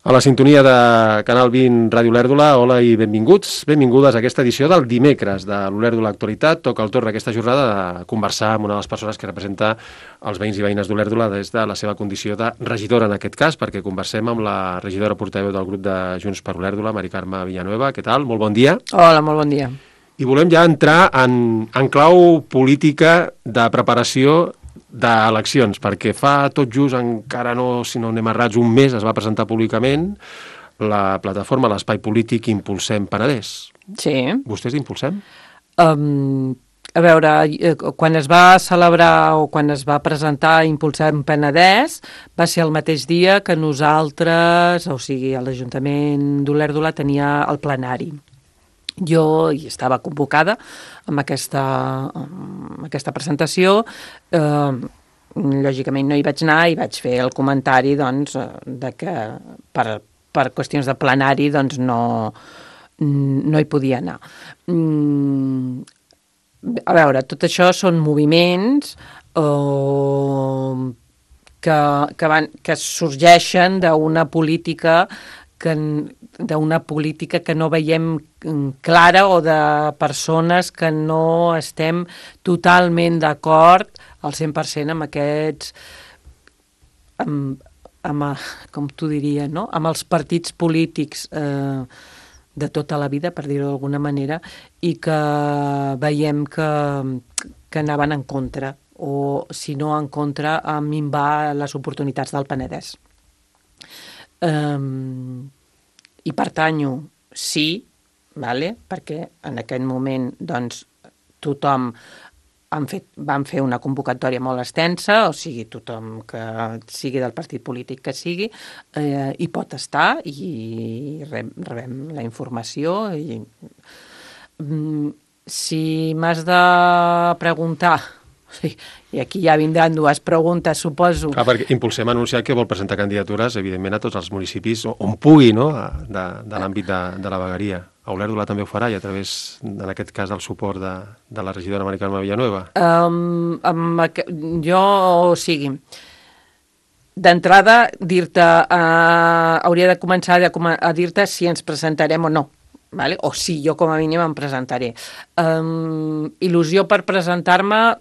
A la sintonia de Canal 20 Ràdio Olèrdola, hola i benvinguts, benvingudes a aquesta edició del dimecres de l'Olèrdola Actualitat. Toca el torn aquesta jornada de conversar amb una de les persones que representa els veïns i veïnes d'Olèrdola des de la seva condició de regidora en aquest cas, perquè conversem amb la regidora portaveu del grup de Junts per Olèrdola, Mari Carme Villanueva. Què tal? Molt bon dia. Hola, molt bon dia. I volem ja entrar en clau política de preparació d'eleccions, perquè fa tot just, encara no, si no anem errats, un mes es va presentar públicament la plataforma L'Espai Polític Impulsem Penedès. Sí. Vostès impulsem? A veure, quan es va celebrar o quan es va presentar Impulsem Penedès va ser el mateix dia que nosaltres, o sigui, l'Ajuntament d'Olèrdola tenia el plenari. Jo hi estava convocada amb aquesta presentació, lògicament no hi vaig anar i vaig fer el comentari doncs, de que per qüestions de plenari doncs, no hi podia anar. A veure, tot això són moviments que sorgeixen d'una política que no veiem clara o de persones que no estem totalment d'acord al 100% amb aquests, com t'ho diria, no? Amb els partits polítics de tota la vida, per dir-ho d'alguna manera, i que veiem que anaven en contra, o si no en contra, a minvar les oportunitats del Penedès. I pertanyo, sí, vale? Perquè en aquest moment doncs, tothom van fer una convocatòria molt extensa, o sigui, tothom que sigui del partit polític que sigui, hi pot estar i rebem la informació. Si m'has de preguntar, i aquí ja vindran dues preguntes, suposo. Clar, perquè Impulsem ha anunciat que vol presentar candidatures, evidentment, a tots els municipis on pugui, no?, de l'àmbit de la vegueria. A Olèrdola també ho farà, i a través, en aquest cas, del suport de la regidora Mari Carme Villanueva. O sigui, d'entrada, dir-te, hauria de començar a dir-te si ens presentarem o no. Vale? O sí, jo com a mínim em presentaré. Il·lusió per presentar-me,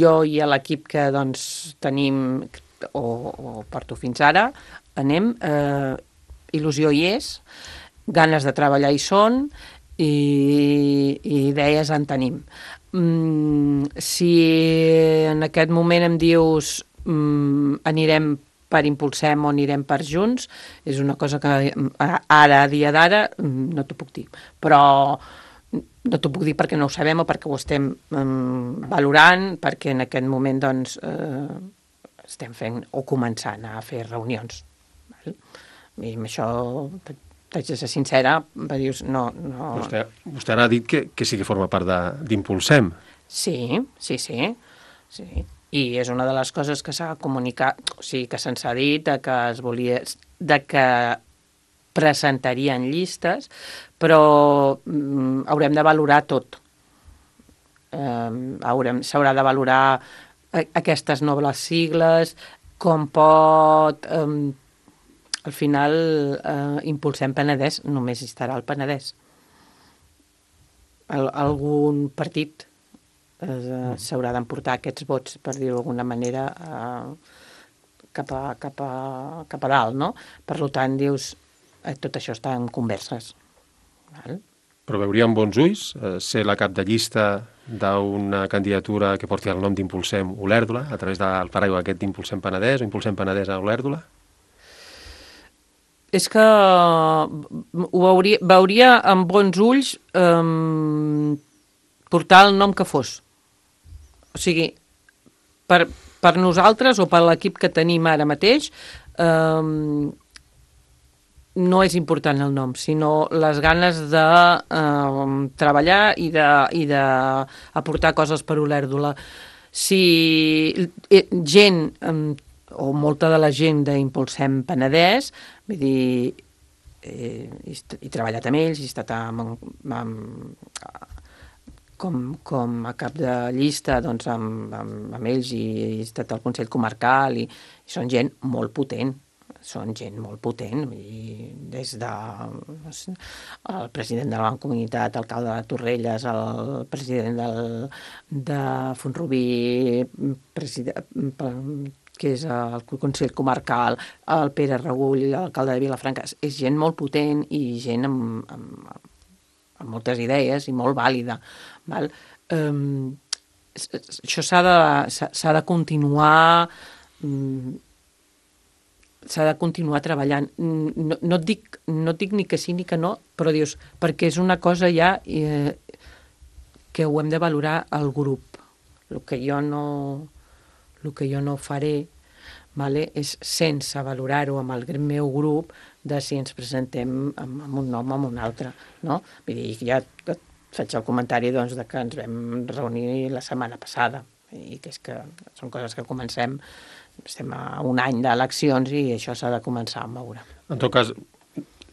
jo i l'equip que doncs, tenim o porto fins ara, anem, il·lusió hi és, ganes de treballar hi són i idees en tenim. Si en aquest moment em dius anirem per Impulsem o anirem per Junts, és una cosa que ara, a dia d'ara, no t'ho puc dir. Però no t'ho puc dir perquè no ho sabem o perquè ho estem valorant, perquè en aquest moment doncs, estem fent o començant a fer reunions. I amb això t'haig de ser sincera, dius, no. Vostè ara ha dit que sí que forma part d'Impulsem. Sí. I és una de les coses que s'ha comunicat, o sigui, que se'ns ha dit de que presentarien llistes, però haurem de valorar tot. S'haurà de valorar aquestes noves sigles, com pot... Al final, Impulsem Penedès, només hi estarà el Penedès. Algun partit s'haurà d'emportar aquests vots, per dir-ho d'alguna manera, cap a dalt, no? Per tant, dius, tot això està en converses. Val? Però veuríem bons ulls ser la cap de llista d'una candidatura que porti el nom d'Impulsem Olèrdola, a través del paraigua aquest d'Impulsem Penedès o Impulsem Penedès a Olèrdola? És que ho veuria amb bons ulls portar el nom que fos. O sigui, per nosaltres o per l'equip que tenim ara mateix, no és important el nom, sinó les ganes de treballar i d'aportar coses per Olèrdola. Si gent, o molta de la gent d'Impulsem Penedès, vull dir, he treballat amb ells, he estat com a cap de llista doncs, amb ells i he estat al Consell Comarcal i són gent molt potent. són gent molt potent, i des de el president de la Mancomunitat, alcalde de Torrelles, el president de Font-rubí, que és el Consell Comarcal, el Pere Regull, l'alcalde de Vilafranca, és gent molt potent i gent amb moltes idees i molt vàlida, val? Això s'ha de continuar treballant. No et dic ni que sí ni que no, però dius, perquè és una cosa ja que ho hem de valorar al grup. El que jo no faré, vale, és sense valorar-ho amb el meu grup de si ens presentem amb un nom o amb un altre. No? Vull dir, ja faig el comentari doncs, de que ens vam reunir la setmana passada i que és que són coses que estem a un any d'eleccions i això s'ha de començar a moure. En tot cas,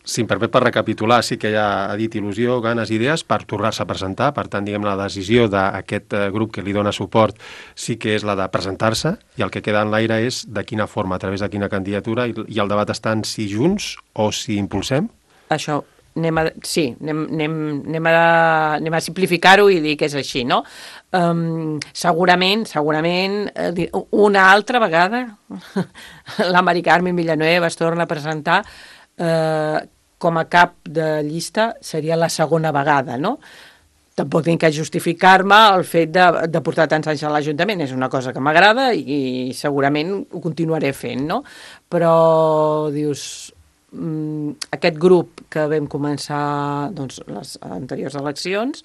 si em permet per recapitular, sí que ja ha dit il·lusió, ganes, idees per tornar-se a presentar. Per tant, diguem, la decisió d'aquest grup que li dona suport sí que és la de presentar-se i el que queda en l'aire és de quina forma, a través de quina candidatura, i el debat està en si junts o si impulsem? Això, anem a simplificar-ho i dir que és així, no? Segurament, una altra vegada la Mari Carmen Villanueva es torna a presentar com a cap de llista, seria la segona vegada, no? Tampoc tinc que justificar-me el fet de portar tants anys a l'Ajuntament. És una cosa que m'agrada i segurament ho continuaré fent, no? Però, dius, aquest grup que vam començar doncs, les anteriors eleccions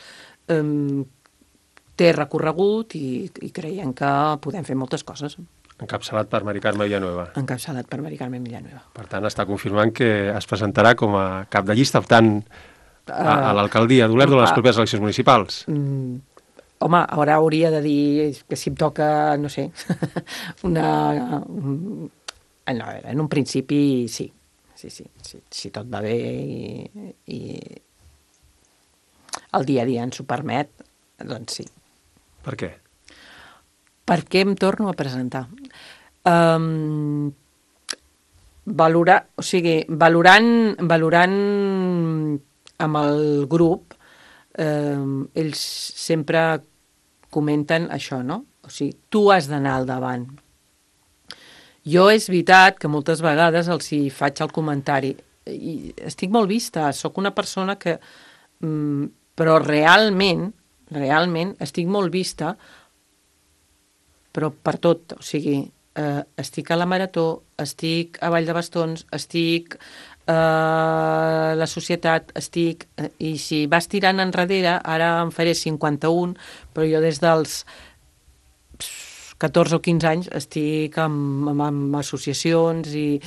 té recorregut i creiem que podem fer moltes coses. Encapçalat per Mari Carme Villanueva. Encapçalat per Mari Carmen Villanueva. Per tant, està confirmant que es presentarà com a cap de llista optant a l'alcaldia d'Olèrdola a les properes eleccions municipals. Home, ara hauria de dir que si em toca, no sé, en un principi sí. Sí, si tot va bé i el dia a dia ens ho permet, doncs sí. Per què? Per què em torno a presentar? Valorant amb el grup, ells sempre comenten això, no? O sigui, tu has d'anar al davant. Jo és veritat que moltes vegades els hi faig el comentari i estic molt vista, sóc una persona que... però realment estic molt vista, però per tot, o sigui, estic a la Marató, estic a Vall de Bastons, estic a la Societat, i si vas tirant enrere, ara em faré 51, però jo des dels 14 o 15 anys estic amb associacions i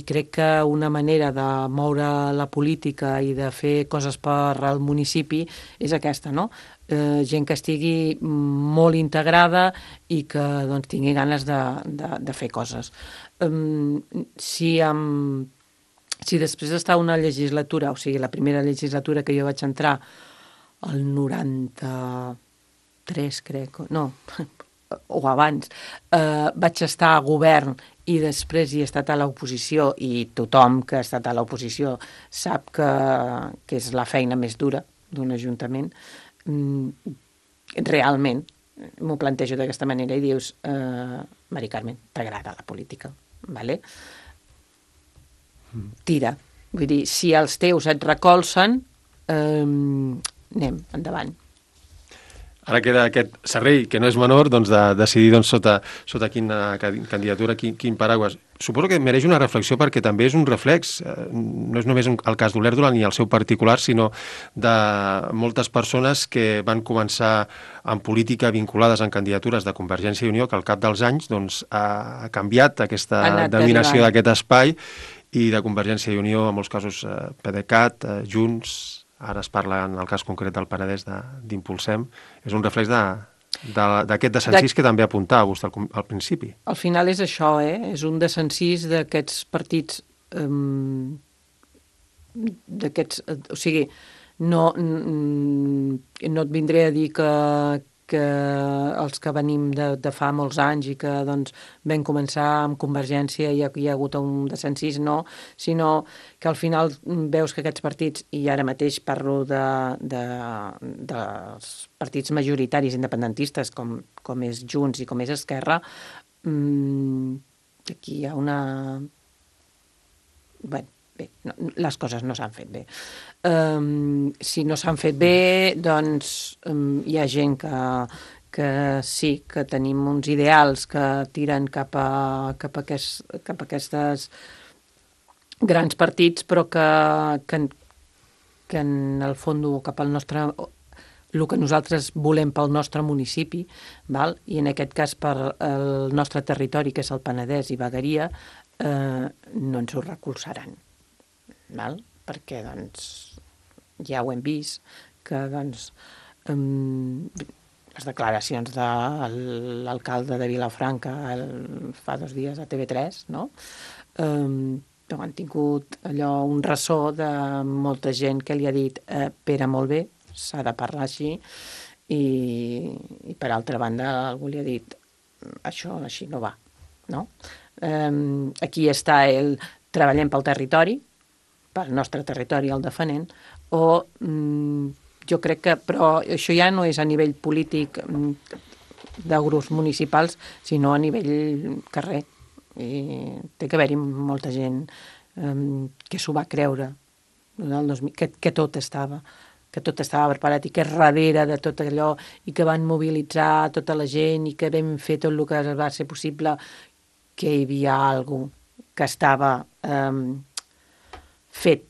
crec que una manera de moure la política i de fer coses per al municipi és aquesta, no? Gent que estigui molt integrada i que doncs, tingui ganes de fer coses. Si després d'estar una legislatura, o sigui, la primera legislatura que jo vaig entrar, el 93, crec, no, o abans, vaig estar a govern i després hi he estat a l'oposició i tothom que ha estat a l'oposició sap que és la feina més dura d'un ajuntament. Realment m'ho plantejo d'aquesta manera i dius, Mari Carmen, t'agrada la política, vale? Tira. Vull dir, si els teus et recolzen, anem, endavant. Ara queda aquest servei, que no és menor, doncs, de decidir doncs, sota quina candidatura, quin paraigües. Suposo que mereix una reflexió perquè també és un reflex, no és només el cas d'Olèrdola ni el seu particular, sinó de moltes persones que van començar en política vinculades en candidatures de Convergència i Unió, que al cap dels anys doncs, ha canviat aquesta dominació d'aquest espai, i de Convergència i Unió, en molts casos PDeCAT, Junts... Ara es parla, en el cas concret del Penedès, d'Impulsem. És un reflex d'aquest desencís que també apuntava vostè al principi. Al final és això, és un desencís d'aquests partits, o sigui, no et vindré a dir els que venim de fa molts anys i que doncs, vam començar amb Convergència i hi ha hagut un desencís, no, sinó que al final veus que aquests partits, i ara mateix parlo dels partits majoritaris independentistes com és Junts i com és Esquerra, aquí hi ha una... Bé, les coses no s'han fet bé. Si no s'han fet bé, doncs hi ha gent que sí, que tenim uns ideals que tiren cap a aquestes grans partits, però que en el fons cap al nostre... el que nosaltres volem pel nostre municipi, val? I en aquest cas per el nostre territori, que és el Penedès i Vegueria, no ens ho recolzaran. Val? Perquè doncs, ja ho hem vist, que doncs, les declaracions de l'alcalde de Vilafranca fa 2 dies a TV3, no? Han tingut allò un ressò de molta gent que li ha dit Pere, molt bé, s'ha de parlar així, i per altra banda algú li ha dit això així no va, no? Aquí està el treballem pel territori, pel nostre territori el defenent, o jo crec que, però això ja no és a nivell polític de grups municipals, sinó a nivell carrer. I té que haver-hi molta gent que s'ho va creure, que tot estava preparat i que darrere de tot allò i que van mobilitzar tota la gent i que vam fer tot el que va ser possible, que hi havia alguna cosa que estava fet,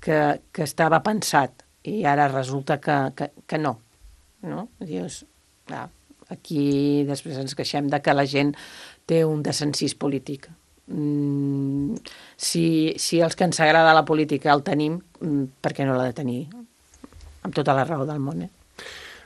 que estava pensat, i ara resulta que no. Dius, aquí després ens queixem de que la gent té un desencís polític. Si els que ens agrada la política el tenim, per què no l'ha de tenir? Amb tota la raó del món,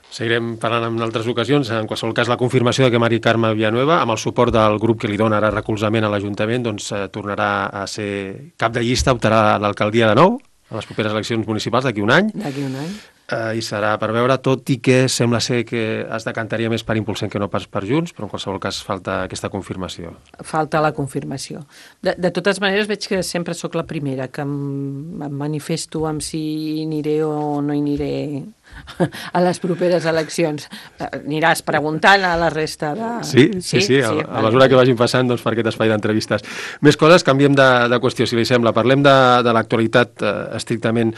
Seguirem parlant en altres ocasions. En qualsevol cas, la confirmació de que Mari Carme Villanueva, amb el suport del grup que li dona ara recolzament a l'Ajuntament, doncs tornarà a ser cap de llista, optarà a l'alcaldia de nou, a les properes eleccions municipals d'aquí un any. D'aquí un any. I serà per veure, tot i que sembla ser que es decantaria més per Impulsem que no pas per Junts, però en qualsevol cas falta aquesta confirmació. Falta la confirmació. De totes maneres veig que sempre sóc la primera que em manifesto amb si aniré o no aniré a les properes eleccions. Aniràs preguntant a la resta de... Sí. A mesura que vagin passant per aquest espai d'entrevistes. Més coses, canviem de qüestió, si li sembla. Parlem de l'actualitat estrictament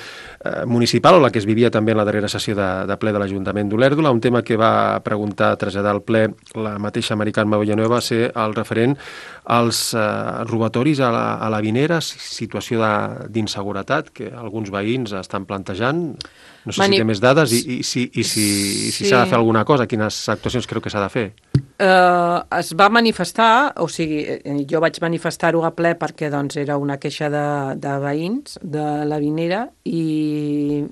municipal, o la que es vivia també en la darrera sessió de ple de l'Ajuntament d'Olèrdola. Un tema que va preguntar, traslladar al ple la mateixa Mari Carme Villanueva, va ser el referent als robatoris a la Vinera, situació d'inseguretat que alguns veïns estan plantejant. No sé si té més dades i si s'ha de fer alguna cosa, quines actuacions creu que s'ha de fer. Es va manifestar, o sigui, jo vaig manifestar-ho a ple perquè doncs, era una queixa de veïns de la Vinera, i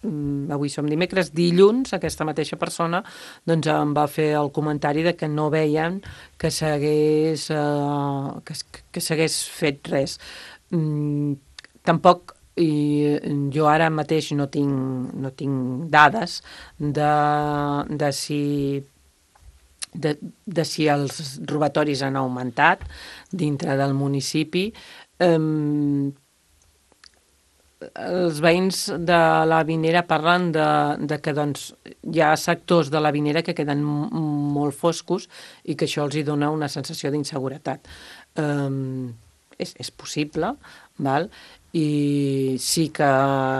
avui som dimecres, dilluns aquesta mateixa persona doncs, em va fer el comentari de que no veien que s'hagués fet res. Tampoc, i jo ara mateix no tinc dades de si els robatoris han augmentat dintre del municipi. Els veïns de la Vinera parlen de que doncs, hi ha sectors de la Vinera que queden molt foscos i que això els hi dona una sensació d'inseguretat. És possible, val? I sí que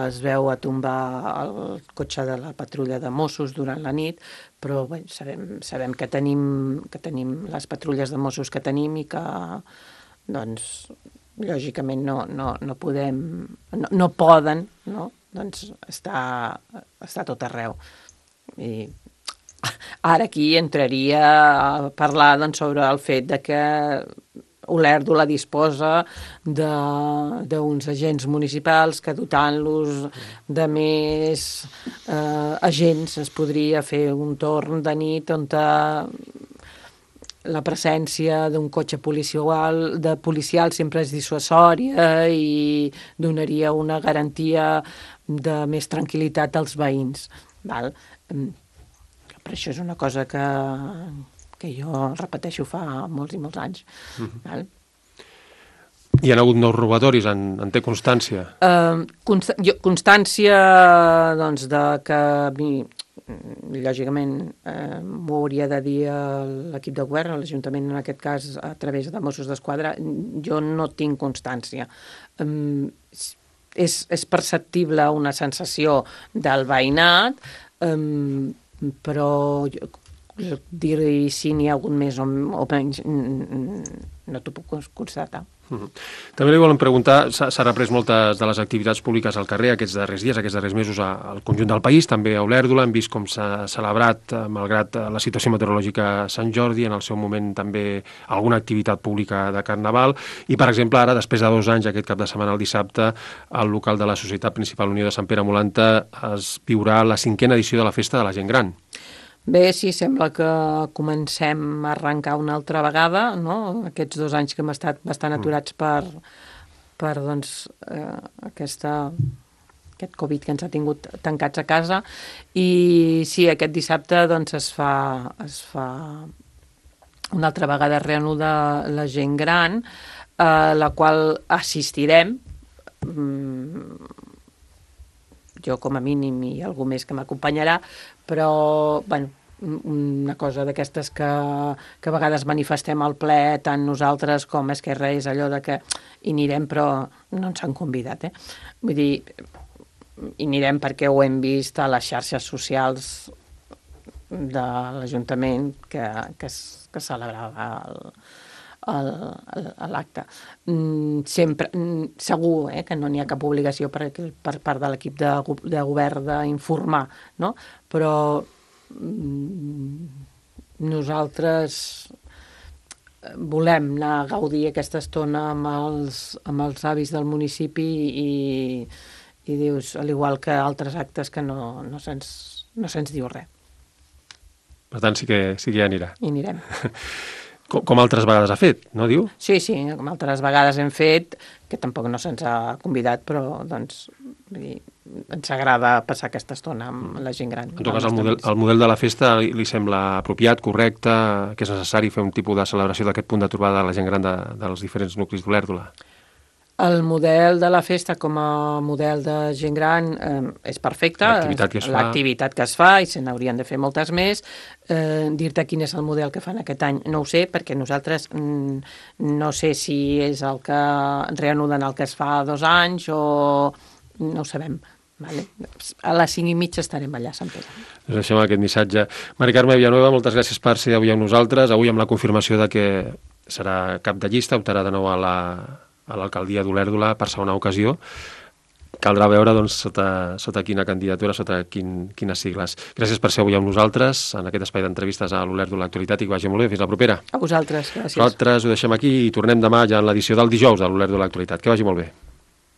es veu a tombar el cotxe de la patrulla de Mossos durant la nit, però bé, sabem que tenim les patrulles de Mossos que tenim i que doncs, lògicament no poden, no? Doncs està tot arreu. I ara aquí entraria a parlar doncs, sobre el fet de que Olèrdola disposa d'uns agents municipals que dotant-los de més agents es podria fer un torn de nit on la presència d'un cotxe policial sempre és dissuasòria i donaria una garantia de més tranquil·litat als veïns. Val? però això és una cosa que jo repeteixo fa molts i molts anys. Val? Hi ha hagut nous robatoris, en té constància? Constància, doncs, de que a mi, lògicament, m'ho hauria de dir l'equip de govern, l'Ajuntament, en aquest cas, a través de Mossos d'Esquadra, jo no tinc constància. És perceptible una sensació del veïnat, però dir-hi si n'hi ha hagut més o menys no t'ho puc constatar. També li volem preguntar, s'ha reprès moltes de les activitats públiques al carrer aquests darrers dies, aquests darrers mesos al conjunt del país, també a Olèrdola, hem vist com s'ha celebrat, malgrat la situació meteorològica a Sant Jordi, en el seu moment també alguna activitat pública de Carnaval, i per exemple ara, després de 2 anys, aquest cap de setmana, el dissabte, al local de la Societat Principal Unió de Sant Pere Molanta es viurà la 5a edició de la Festa de la Gent Gran. Bé, sí, sembla que comencem a arrencar una altra vegada, no? Aquests 2 anys que hem estat bastant aturats per doncs, aquest Covid que ens ha tingut tancats a casa. I sí, aquest dissabte doncs, es fa una altra vegada reanuda la Gent Gran, a la qual assistirem, jo com a mínim i algú més que m'acompanyarà, però, bueno, una cosa d'aquestes que a vegades manifestem al ple, tant nosaltres com Esquerra, és allò de que hi anirem però no ens han convidat, Vull dir, hi anirem perquè ho hem vist a les xarxes socials de l'Ajuntament que celebrava l'acte. Sempre, segur que no n'hi ha cap obligació per part de l'equip de govern d'informar, no? Però nosaltres volem anar a gaudir aquesta estona amb els avis del municipi i dius, al igual que altres actes, que no se'ns diu res. Per tant, sí que hi anirà. Hi anirem. Com altres vegades ha fet, no diu? Sí, com altres vegades hem fet, que tampoc no se'ns ha convidat, però doncs, ens agrada passar aquesta estona amb la gent gran. En tot cas, el model de la festa li sembla apropiat, correcte, que és necessari fer un tipus de celebració d'aquest punt de trobada de la gent gran dels diferents nuclis d'Olèrdola? El model de la festa com a model de gent gran és perfecte. L'activitat que es fa, i se n'haurien de fer moltes més. Dir-te quin és el model que fan aquest any no ho sé, perquè nosaltres no sé si és el que reanuden el que es fa 2 anys o no ho sabem. Vale. A les 5:30 estarem allà a Sant Pere. Us deixem aquest missatge. Mari Carme Villanueva, moltes gràcies per ser avui amb nosaltres. Avui amb la confirmació de que serà cap de llista, optarà de nou a l'alcaldia d'Olèrdola per segona ocasió. Caldrà veure doncs, sota quina candidatura, sota quines sigles. Gràcies per ser avui amb nosaltres en aquest espai d'entrevistes a l'Olèrdola Actualitat i que vagi molt bé. Fins la propera. A vosaltres, gràcies. Nosaltres ho deixem aquí i tornem demà ja en l'edició del dijous de l'Olèrdola Actualitat. Que vagi molt bé.